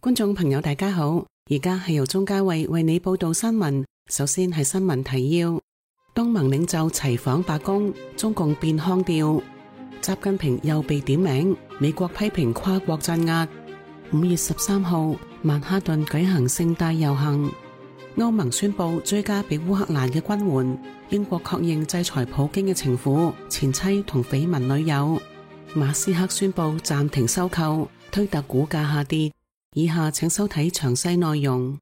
觀眾朋友大家好，而家係由鍾嘉慧為你報道新聞。首先係新聞提要：東盟領袖齊訪白宮，中共變腔調；習近平又被點名，美國批評跨國鎮壓。5月13號，曼哈頓舉行盛大遊行。歐盟宣布追加俾烏克蘭嘅軍援。英國確認制裁普京嘅情婦、前妻同緋聞女友。馬斯克宣布暫停收購，推特股價下跌。以下請收睇詳細內容。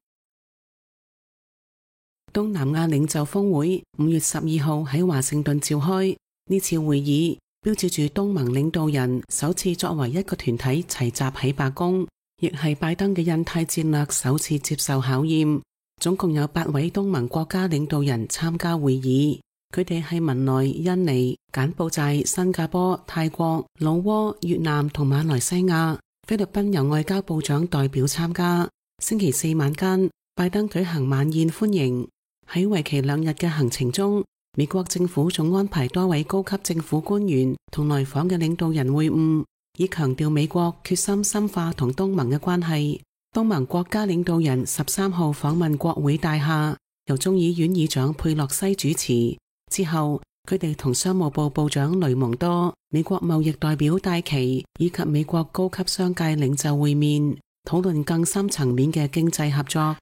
東南亞領袖峰會5月12號喺華盛頓召開，呢次會議標誌住東盟領導人首次作為一個團體齊集喺白宮，亦係拜登嘅印太戰略首次接受考驗。總共有8位東盟國家領導人參加會議，佢哋係文萊、印尼、柬埔寨、新加坡、泰國、老撾、越南同馬來西亞。菲律賓由外交部長代表參加。星期四晚間，拜登舉行晚宴歡迎。喺為期2日嘅行程中，美國政府仲安排多位高級政府官員同來訪嘅領導人會晤，以強調美國決心深化同東盟嘅關係。東盟國家領導人13號訪問國會大廈，由眾議院議長佩洛西主持。之後，佢哋同商務部部長雷蒙多、美國貿易代表戴琪以及美國高級商界領袖會面，討論更深層面嘅經濟合作。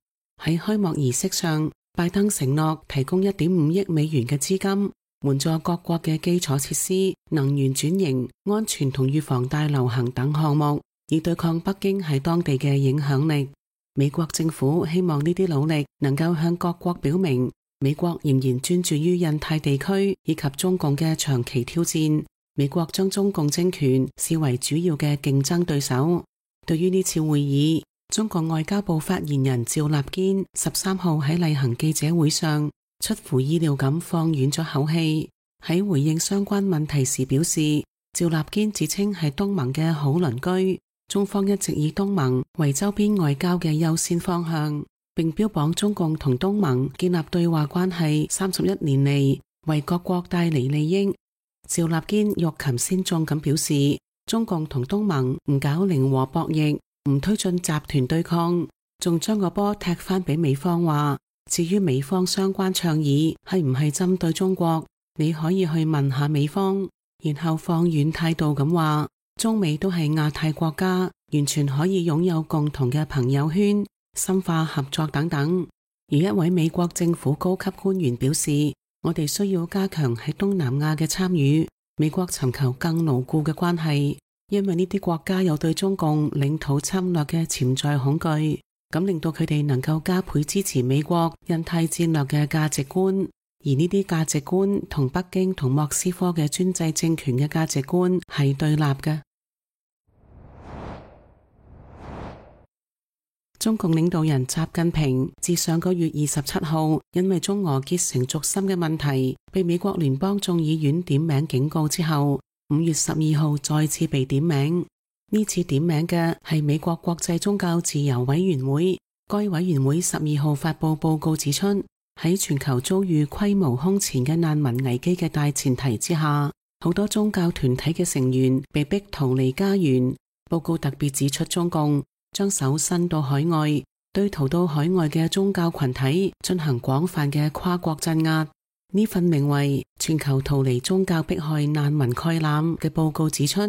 喺開幕儀式上，拜登承諾提供1.5億美元嘅資金，援助各國嘅基礎設施、能源轉型、安全同預防大流行等項目，以對抗北京喺當地嘅影響力。美國政府希望呢啲努力能夠向各國表明，美國仍然專注於印太地區以及中共嘅長期挑戰。美國將中共政權視為主要嘅競爭對手。對於呢次會議，中國外交部發言人趙立堅13號喺例行記者會上出乎意料咁放軟咗口氣，喺回應相關問題時表示，趙立堅自稱係東盟嘅好鄰居，中方一直以東盟為周邊外交嘅優先方向，並標榜中共同東盟建立對話關係31年嚟，為各國帶嚟利益。趙立堅欲擒先縱咁表示，中共同東盟唔搞零和博弈，唔推進集團對抗，仲將個波踢返俾美方話，至於美方相關倡議係唔係針對中國，你可以去問下美方。然後放軟態度咁話，中美都係亞太國家，完全可以擁有共同嘅朋友圈，深化合作等等。而一位美國政府高級官員表示，我哋需要加強喺東南亞嘅參與，美國尋求更牢固嘅關係，因為呢啲國家有對中共領土侵略嘅潛在恐懼，咁令到佢哋能夠加倍支持美國印太戰略嘅價值觀。而呢啲價值觀同北京同莫斯科嘅專制政權嘅價值觀係對立嘅。中共領導人習近平自上個月27號因為中俄結成軸心嘅問題，被美國聯邦眾議院點名警告之後，5月12號再次被點名。呢次點名嘅係美國國際宗教自由委員會。該委員會12號發佈報告指出，喺全球遭遇規模空前嘅難民危機嘅大前提之下，好多宗教團體嘅成員被逼逃離家園。報告特別指出，中共將手伸到海外，對逃到海外嘅宗教群體進行廣泛嘅跨國鎮壓。呢份名為《全球逃離宗教迫害難民概覽》嘅報告指出，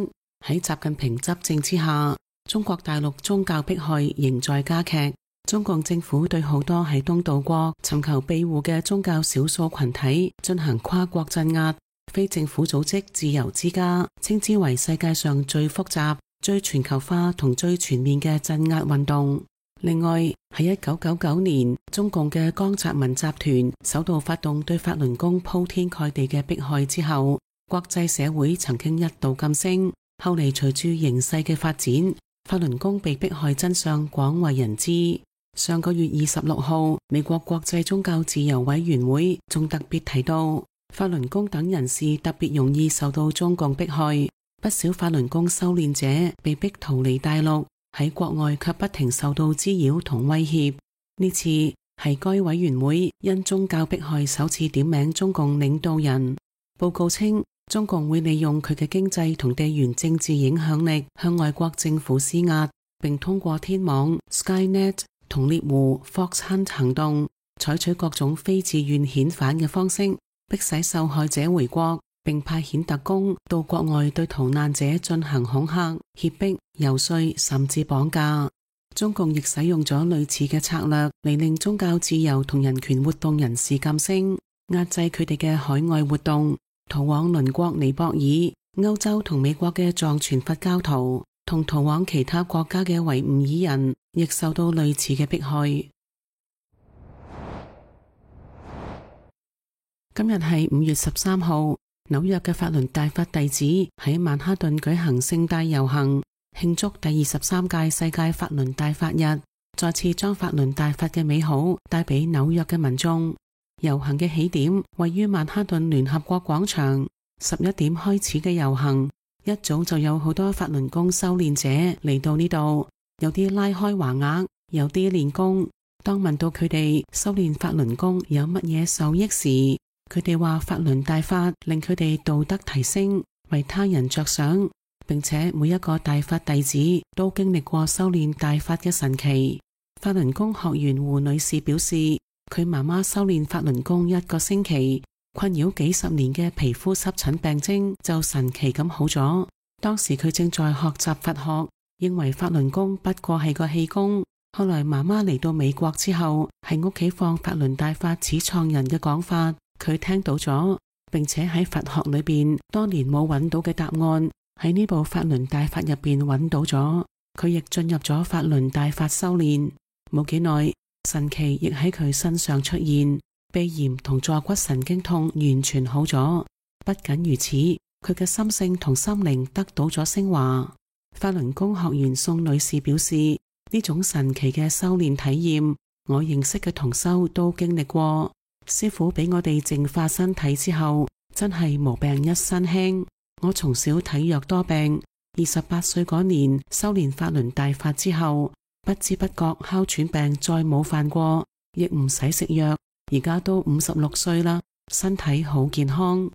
喺習近平執政之下，中國大陸宗教迫害仍在加劇。中共政府對好多喺東道國尋求庇護嘅宗教少數群體進行跨國鎮壓。非政府組織自由之家稱之為世界上最複雜、最全球化同最全面嘅鎮壓運動。另外，喺1999年，中共嘅江澤民集團首度發動對法輪功鋪天蓋地嘅迫害之後，國際社會曾經一度噤聲。後嚟隨住形勢嘅發展，法輪功被迫害真相廣為人知。上個月26號，美國國際宗教自由委員會仲特別提到，法輪功等人士特別容易受到中共迫害，不少法輪功修煉者被逼逃離大陸，喺國外卻不停受到滋擾同威脅。呢次係該委員會因宗教迫害首次點名中共領導人。報告稱，中共會利用佢嘅經濟同地緣政治影響力向外國政府施壓，並通過天網、Skynet 同獵狐 Fox Hunt 行動，採取各種非自願遣返嘅方式，迫使受害者回國，並派遣特工到國外對逃難者進行恐嚇、脅迫、遊說，甚至綁架。中共亦使用咗類似嘅策略嚟令宗教自由同人權活動人士噤聲，壓制佢哋嘅海外活動。逃往鄰國尼泊爾、歐洲同美國嘅藏傳佛教徒，同逃往其他國家嘅維吾爾人，亦受到類似嘅迫害。今日係5月13號，紐約嘅法輪大法弟子喺曼哈頓舉行盛大遊行，慶祝第23屆世界法輪大法日，再次將法輪大法嘅美好帶俾紐約嘅民眾。遊行嘅起點位於曼哈頓聯合國廣場，11點開始嘅遊行，一早就有好多法輪功修煉者嚟到呢度，有啲拉開橫額，有啲練功。當問到佢哋修煉法輪功有乜嘢受益時，佢哋話法輪大法令佢哋道德提升，為他人着想，並且每一個大法弟子都經歷過修煉大法嘅神奇。法輪功學員胡女士表示，佢媽媽修煉法輪功1個星期，困擾幾十年嘅皮膚濕疹病徵就神奇咁好咗。當時佢正在學習佛學，認為法輪功不過係個氣功。後來媽媽嚟到美國之後，喺屋企放法輪大法始創人嘅講法，佢聽到咗，並且喺佛學裏邊多年冇揾到嘅答案，喺呢部法輪大法入邊揾到咗。佢亦進入咗法輪大法修煉，冇幾耐，神奇亦喺佢身上出現，鼻炎同坐骨神經痛完全好咗。不僅如此，佢嘅心性同心靈得到咗升華。法輪功學員宋女士表示，呢種神奇嘅修煉體驗，我認識嘅同修都經歷過。師父俾我哋淨化身體之後，真係無病一身輕。我從小體弱多病，28歲嗰年修煉法輪大法之後，不知不覺哮喘病再冇犯過，亦唔使食藥。而家都56歲啦，身體好健康。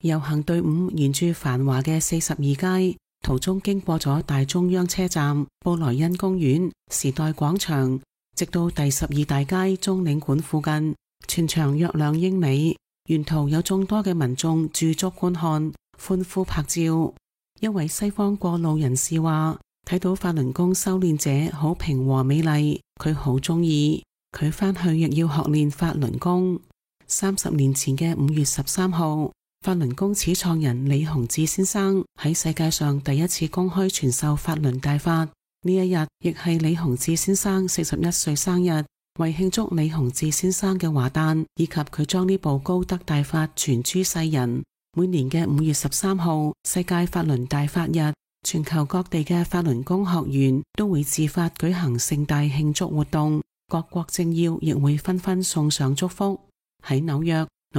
遊行隊伍沿住繁華嘅42街，途中經過咗大中央車站、布萊恩公園、時代廣場，直到第12大街中領館附近，全長約2英里。沿途有眾多嘅民眾駐足觀看、歡呼拍照。一位西方過路人士話，睇到法輪功修煉者好平和美麗，佢好鍾意。佢返去亦要學練法輪功。30年前嘅5月13號，法輪功始創人李洪志先生喺世界上第一次公開傳授法輪大法。呢一日亦係李洪志先生41歲生日。為慶祝李洪志先生嘅華誕，以及佢將呢部高德大法傳諸世人，每年嘅5月13號世界法輪大法日，全球各地嘅法輪功學員都會自發舉行盛大慶祝活動，各國政要亦會紛紛送上祝福。喺紐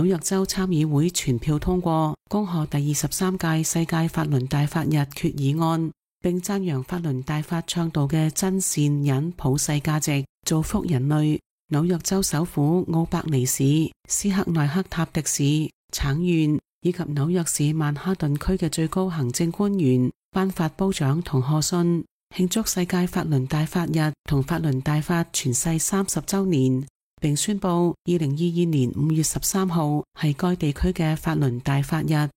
約州參議會全票通過恭賀第23屆世界法輪大法日決議案，並讚揚法輪大法倡導嘅真善忍普世價值，造福人類。紐約州首府奧伯尼市、斯克內克塔迪市、橙縣以及紐約市曼哈頓區嘅最高行政官員頒發褒獎同賀信，慶祝世界法輪大法日同法輪大法傳世30週年，並宣布2022年5月13號係該地區嘅法輪大法日。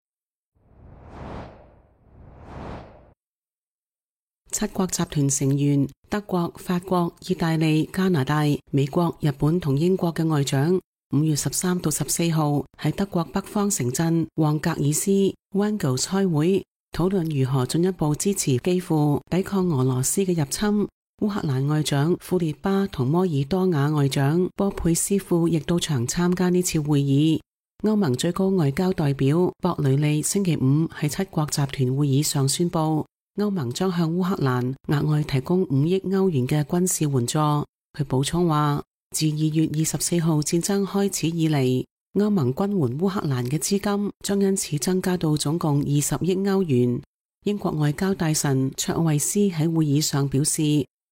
7國集團成員德國、法國、意大利、加拿大、美國、日本同英國嘅外長5月13到14號喺德國北方城鎮旺格爾斯 Wangels 開會，討論如何進一步支持基輔抵抗俄羅斯嘅入侵。烏克蘭外長庫列巴同摩爾多瓦外長波佩斯庫亦到場參加呢次會議。歐盟最高外交代表博雷利星期5喺7國集團會議上宣布，歐盟將向烏克蘭額外提供5億歐元嘅軍事援助。佢補充話，自2月24號戰爭開始以嚟，歐盟軍援烏克蘭嘅資金將因此增加到總共20億歐元。英國外交大臣卓慧斯喺會議上表示，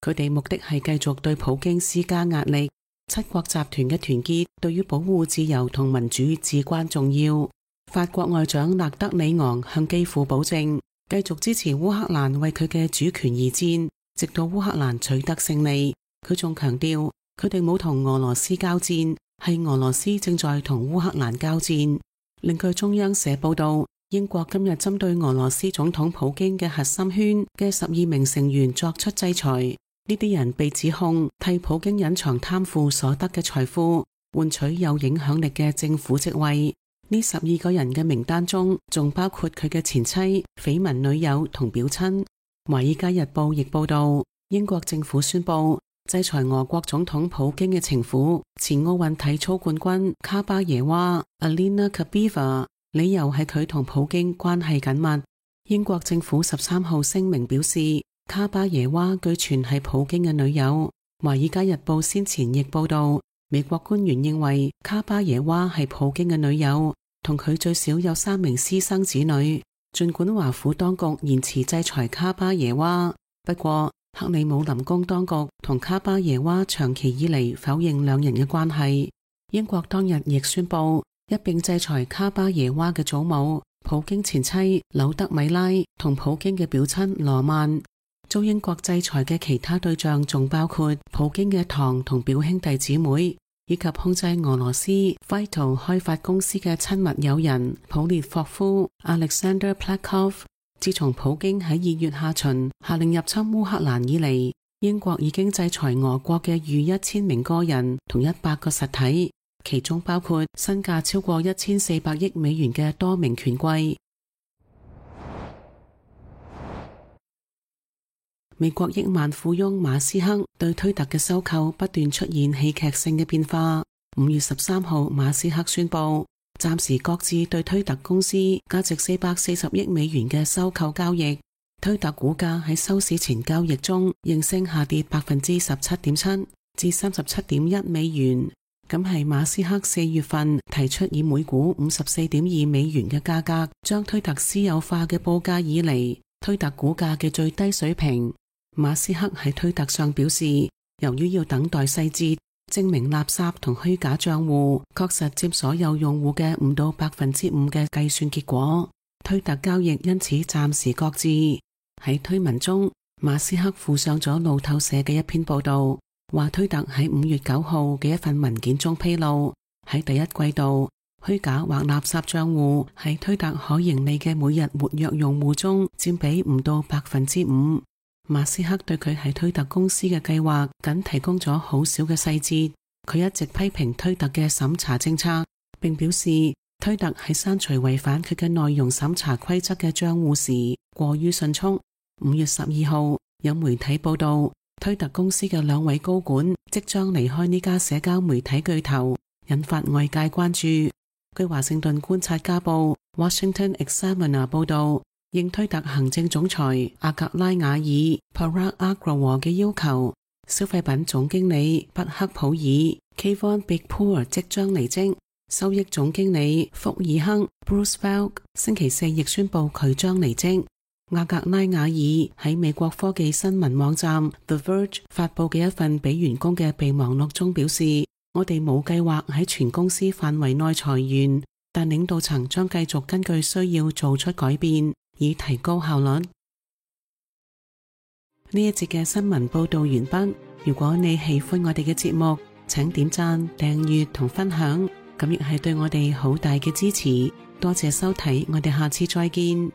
佢哋目的係繼續對普京施加壓力。7國集團嘅團結對於保護自由同民主至關重要。法國外長勒德里昂向基輔保證，繼續支持烏克蘭為佢嘅主權而戰，直到烏克蘭取得勝利。佢仲強調，佢哋冇同俄羅斯交戰，係俄羅斯正在同烏克蘭交戰。另據中央社報道，英國今日針對俄羅斯總統普京嘅核心圈嘅12名成員作出制裁，呢啲人被指控替普京隱藏貪腐所得嘅財富，換取有影響力嘅政府職位。呢12個人嘅名單中，仲包括佢嘅前妻、緋聞女友同表親。華爾街日報亦報道，英國政府宣布制裁俄國總統普京嘅情婦、前奧運體操冠軍卡巴耶娃 Alina Kabeva， 理由係佢同普京關係緊密。英國政府13號聲明表示，卡巴耶娃據傳係普京嘅女友。華爾街日報先前亦報道，美國官員認為卡巴耶娃係普京嘅女友，同佢最少有3名私生子女。儘管華府當局延遲制裁卡巴耶娃，不過克里姆林宮當局同卡巴耶娃長期以嚟否認兩人嘅關係。英國當日亦宣布一併制裁卡巴耶娃嘅祖母、普京前妻柳德米拉同普京嘅表親羅曼。遭英國制裁嘅其他對象仲包括普京嘅堂同表兄弟姊妹，以及控制俄羅斯 Vital 開發公司嘅親密友人普列霍夫 Alexander Plakov。自從普京喺2月下旬下令入侵烏克蘭以嚟，英國已經制裁俄國嘅逾1000名個人同100個實體，其中包括身價超過1400億美元嘅多名權貴。美國億萬富翁馬斯克對推特嘅收購不斷出現戲劇性嘅變化。5月13號，馬斯克宣布暫時擱置對推特公司價值440億美元嘅收購交易。推特股價喺收市前交易中應聲下跌 17.7% 至 37.1 美元。咁係馬斯克4月份提出以每股 54.2 美元嘅價格將推特私有化嘅報價以嚟，推特股價嘅最低水平。馬斯克喺推特上表示，由於要等待細節，證明垃圾同虛假賬戶確實佔所有用戶嘅5到 5% 嘅計算結果，推特交易因此暫時擱置。喺推文中，馬斯克附上咗路透社嘅一篇報道，話推特喺5月9號嘅一份文件中披露，喺第一季度，虛假或垃圾賬戶喺推特可盈利嘅每日活躍用戶中佔比唔到 5%。馬斯克對佢喺推特公司嘅計劃僅提供咗好少嘅細節。佢一直批評推特嘅審查政策，並表示推特喺刪除違反佢嘅內容審查規則嘅賬戶時過於迅速。5月12號，有媒體報道，推特公司嘅2位高管即將離開呢家社交媒體巨頭，引發外界關注。據華盛頓觀察家報 Washington Examiner 報道，應推特行政總裁阿格拉瓦爾 Parag Agrawal 嘅要求，消費品總經理畢克普爾 Kayvon Beagpoor 即將離職，收益總經理福爾亨 Bruce Feld 星期4亦宣布佢將離職。阿格拉瓦爾喺美國科技新聞網站 The Verge 發佈嘅一份俾員工嘅備忘錄中表示，我哋冇計劃喺全公司範圍內裁員，但領導層將繼續根據需要做出改變，以提高效率。呢一節嘅新聞報道完畢。如果你喜歡我哋嘅節目，請點讚、訂閱同分享，咁亦係對我哋好大嘅支持。多謝收睇，我哋下次再見。